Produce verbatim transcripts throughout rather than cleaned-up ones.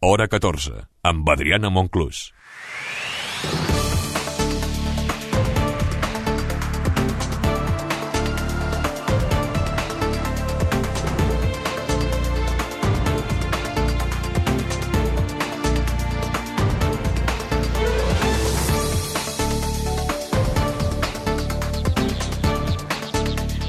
Hora catorze, amb Adriana Monclús.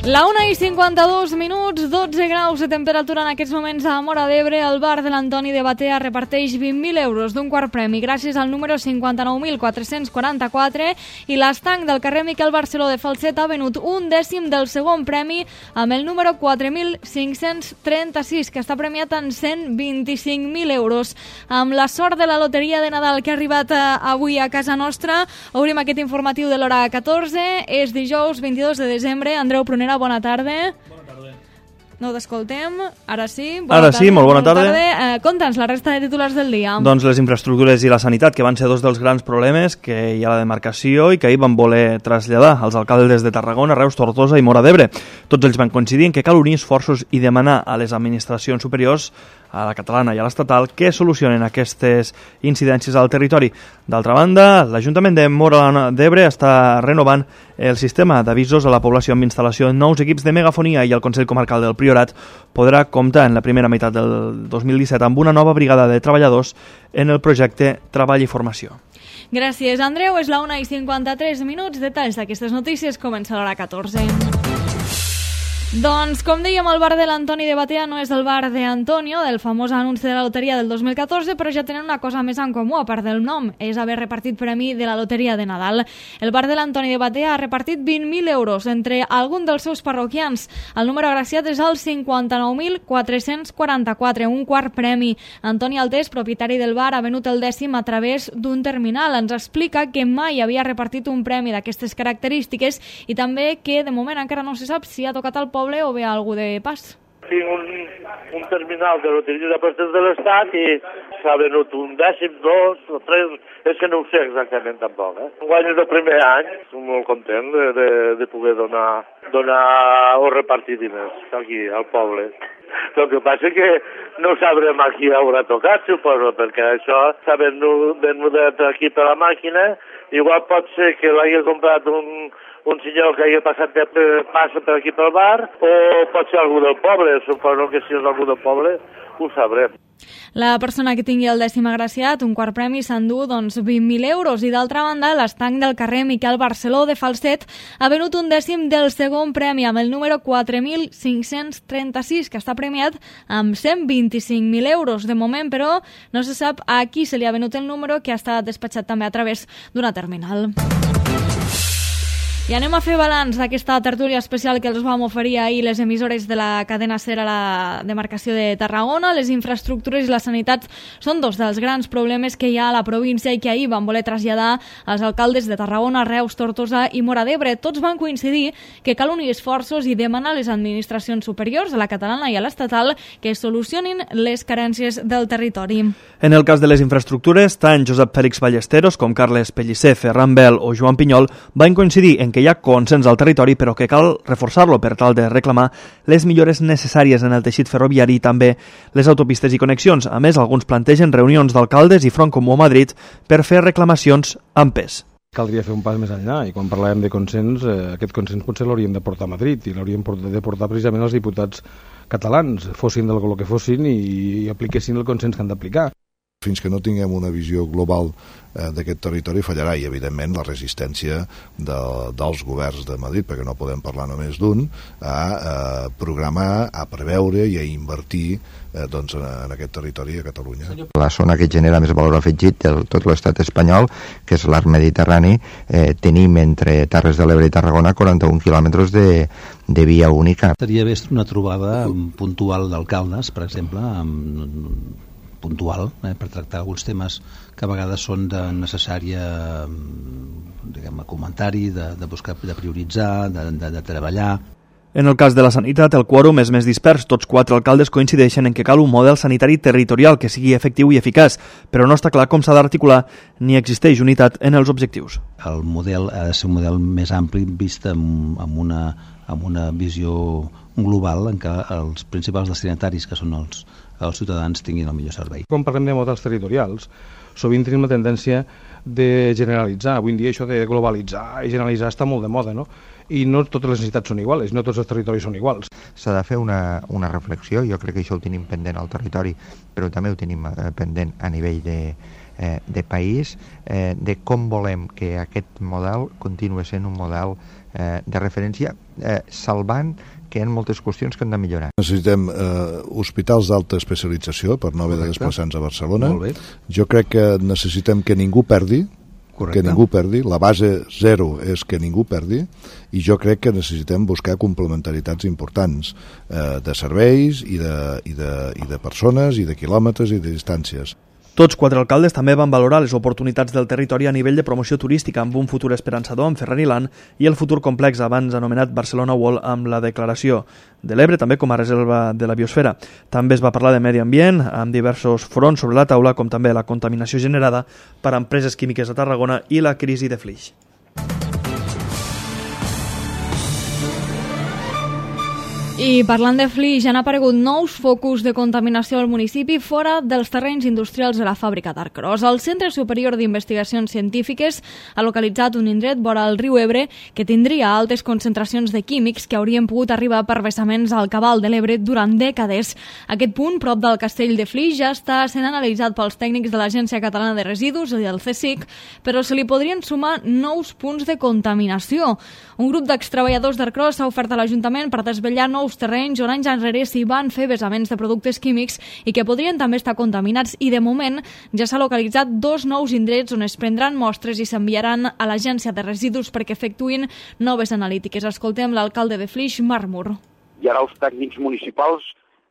La una i cinquanta-dos minuts, dotze graus de temperatura en aquests moments a Móra d'Ebre. El bar de l'Antoni de Batea reparteix vint mil euros d'un quart premi gràcies al número cinquanta-nou mil quatre-cents quaranta-quatre i l'estanc del carrer Miquel Barceló de Falset ha venut un dècim del segon premi amb el número quatre mil cinc-cents trenta-sis, que està premiat en cent vint-i-cinc mil euros. Amb la sort de la loteria de Nadal que ha arribat avui a casa nostra, obrim aquest informatiu de l'hora catorze. És dijous vint-i-dos de desembre. Andreu Prunera, bona tarda. Bona tarda. No t'escoltem. Ara sí. Bona Ara tarda, sí, molt bona, bona tarda. tarda. Eh, Conta'ns la resta de titulars del dia. Doncs les infraestructures i la sanitat, que van ser dos dels grans problemes que hi ha a la demarcació i que ahir van voler traslladar als alcaldes de Tarragona, Reus, Tortosa i Móra d'Ebre. Tots ells van coincidir en que cal unir esforços i demanar a les administracions superiors, a la catalana i a l'estatal, que solucionen aquestes incidències al territori. D'altra banda, l'Ajuntament de Móra d'Ebre està renovant el sistema d'avisos a la població amb instal·lació en nous equips de megafonia i el Consell Comarcal del Priorat podrà comptar en la primera meitat del dos mil disset amb una nova brigada de treballadors en el projecte Treball i Formació. Gràcies, Andreu. És la una i cinquanta-tres minuts. Detalls d'aquestes notícies comença a l'hora catorze. Doncs, com dèiem, el bar de l'Antoni de Batea no és el bar de Antonio, del famós anunci de la loteria del dos mil catorze, però ja tenen una cosa més en comú, a part del nom, és haver repartit premi de la loteria de Nadal. El bar de l'Antoni de Batea ha repartit vint mil euros entre algun dels seus parroquians. El número agraciat és el cinquanta-nou mil quatre-cents quaranta-quatre, un quart premi. Antoni Altés, propietari del bar, ha venut el dècim a través d'un terminal. Ens explica que mai havia repartit un premi d'aquestes característiques i també que, de moment, encara no se sap si ha tocat al poble o ve algú de pas. Tinc un, un terminal de loteria d'apostes de l'Estat i s'ha venut un dècim, dos o tres, és que no ho sé exactament tampoc. Eh? Guany el primer any, estic molt content de, de, de poder donar, donar o repartir diners aquí al poble. El que passa és que no sabrem a qui haurà tocat, suposo, perquè això s'ha venut, venut aquí per la màquina. Igual pot ser que l'hagi comprat un, un senyor que hagi passat de, passa per aquí pel bar, o pot ser algú del poble. Suposo que si és algú del poble ho sabrem. La persona que tingui el dècim agraciat, un quart premi, s'endú doncs, vint mil euros. I d'altra banda, l'estanc del carrer Miquel Barceló de Falset ha venut un dècim del segon premi amb el número quatre mil cinc-cents trenta-sis, que està premiat amb cent vint-i-cinc mil euros. De moment, però, no se sap a qui se li ha venut el número, que ha estat despatxat també a través d'una terminal. I anem a fer balanç d'aquesta tertúlia especial que els vam oferir ahir les emissores de la cadena SER a la demarcació de Tarragona. Les infraestructures i la sanitat són dos dels grans problemes que hi ha a la província i que ahir van voler traslladar als alcaldes de Tarragona, Reus, Tortosa i Móra d'Ebre. Tots van coincidir que cal unir esforços i demanar a les administracions superiors, a la catalana i a l'estatal, que solucionin les carències del territori. En el cas de les infraestructures, tant Josep Fèlix Ballesteros com Carles Pellicer, Ferran Bel o Joan Pinyol van coincidir en que hi ha consens al territori, però que cal reforçar-lo per tal de reclamar les millores necessàries en el teixit ferroviari i també les autopistes i connexions. A més, alguns plantegen reunions d'alcaldes i Front Comú a Madrid per fer reclamacions amb pes. Caldria fer un pas més enllà i quan parlàvem de consens, eh, aquest consens potser l'hauríem de portar a Madrid i l'hauríem de portar precisament els diputats catalans, fossin del color que fossin i, i apliquessin el consens que han d'aplicar. Fins que no tinguem una visió global eh, d'aquest territori fallarà i, evidentment, la resistència de, dels governs de Madrid, perquè no podem parlar només d'un, a eh, programar, a preveure i a invertir eh, doncs, en aquest territori a Catalunya. La zona que genera més valor afegit de tot l'estat espanyol, que és l'arc mediterrani, eh, tenim entre Terres de l'Ebre i Tarragona quaranta-un quilòmetres de, de via única. Seria bé una trobada puntual d'alcaldes, per exemple, amb puntual, eh, per tractar alguns temes que a vegades són de necessària diguem, comentari, de, de buscar, de prioritzar, de, de, de treballar. En el cas de la sanitat, el quòrum és més dispers. Tots quatre alcaldes coincideixen en que cal un model sanitari territorial que sigui efectiu i eficaç, però no està clar com s'ha d'articular ni existeix unitat en els objectius. El model ha de ser un model més ampli vist amb, amb, una, amb una visió global en què els principals destinataris, que són els, que els ciutadans tinguin el millor servei. Quan parlem de models territorials, sovint tenim la tendència de generalitzar. Avui en dia això de globalitzar i generalitzar està molt de moda, no? I no totes les necessitats són iguals, no tots els territoris són iguals. S'ha de fer una, una reflexió, jo crec que això ho tenim pendent al territori, però també ho tenim eh, pendent a nivell de, eh, de país, eh, de com volem que aquest model continue sent un model eh, de referència, eh, salvant que hi ha moltes qüestions que han de millorar. Necessitem eh, hospitals d'alta especialització per no haver de desplaçar-nos a Barcelona. Molt bé. Jo crec que necessitem que ningú perdi, Correcte. que ningú perdi, la base zero és que ningú perdi, i jo crec que necessitem buscar complementaritats importants eh, de serveis i de, i, de, i de persones i de quilòmetres i de distàncies. Tots quatre alcaldes també van valorar les oportunitats del territori a nivell de promoció turística amb un futur esperançador amb Ferrariland i el futur complex abans anomenat Barcelona World amb la declaració de l'Ebre també com a reserva de la biosfera. També es va parlar de medi ambient amb diversos fronts sobre la taula com també la contaminació generada per empreses químiques a Tarragona i la crisi de Flix. I parlant de Flix, han aparegut nous focus de contaminació al municipi fora dels terrenys industrials de la fàbrica d'Arcros. El Centre Superior d'Investigacions Científiques ha localitzat un indret vora el riu Ebre que tindria altes concentracions de químics que haurien pogut arribar per vessaments al cabal de l'Ebre durant dècades. Aquest punt, prop del castell de Flix, ja està sent analitzat pels tècnics de l'Agència Catalana de Residus i del C S I C, però se li podrien sumar nous punts de contaminació. Un grup d'extreballadors d'Arcros s'ha ofert a l'Ajuntament per desvetllar nous terrenys on anys enrere s'hi van fer vessaments de productes químics i que podrien també estar contaminats i de moment ja s'ha localitzat dos nous indrets on es prendran mostres i s'enviaran a l'Agència de Residus perquè efectuïn noves analítiques. Escoltem l'alcalde de Flix, Marc Mur. I ara els tècnics municipals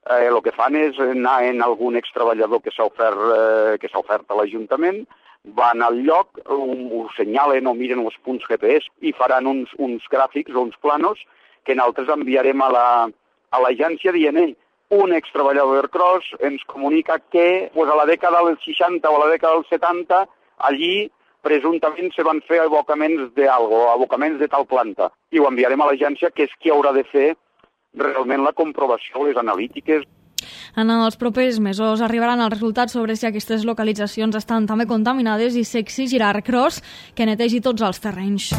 eh, el que fan és anar en algun extreballador que s'ha ofert, eh, que s'ha ofert a l'Ajuntament, van al lloc, um, ho senyalen o miren els punts G P S i faran uns, uns gràfics o uns planos que nosaltres enviarem a la, a l'agència dient ell, un extreballador d'Arcros ens comunica que pues, a la dècada dels seixanta o a la dècada dels setanta allí presumptament se van fer abocaments d'algo, abocaments de tal planta. I ho enviarem a l'agència que és qui haurà de fer realment la comprovació, les analítiques. En els propers mesos arribaran els resultats sobre si aquestes localitzacions estan també contaminades i s'exigirà a Arcros que netegi tots els terrenys.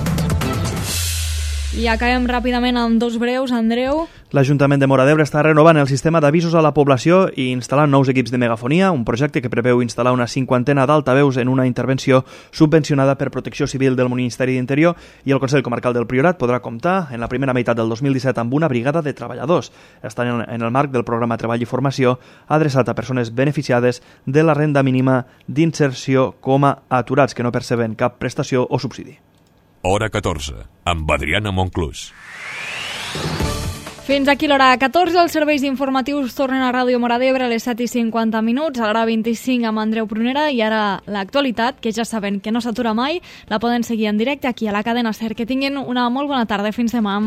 I acabem ràpidament amb dos breus, Andreu. L'Ajuntament de Móra d'Ebre està renovant el sistema d'avisos a la població i instal·lant nous equips de megafonia, un projecte que preveu instal·lar una cinquantena d'altaveus en una intervenció subvencionada per Protecció Civil del Ministeri d'Interior, i el Consell Comarcal del Priorat podrà comptar en la primera meitat del dos mil disset amb una brigada de treballadors. Estan en el marc del programa Treball i Formació adreçat a persones beneficiades de la renda mínima d'inserció com a aturats que no perceben cap prestació o subsidi. Hora catorze, amb Adriana Monclús. Fins aquí l'hora catorze, els serveis informatius tornen a Ràdio Móra d'Ebre a les set i cinquanta minuts, a l'hora vint-i-cinc amb Andreu Prunera, i ara l'actualitat, que ja saben que no s'atura mai, la poden seguir en directe aquí a la cadena SER. Que tinguin una molt bona tarda, fins demà.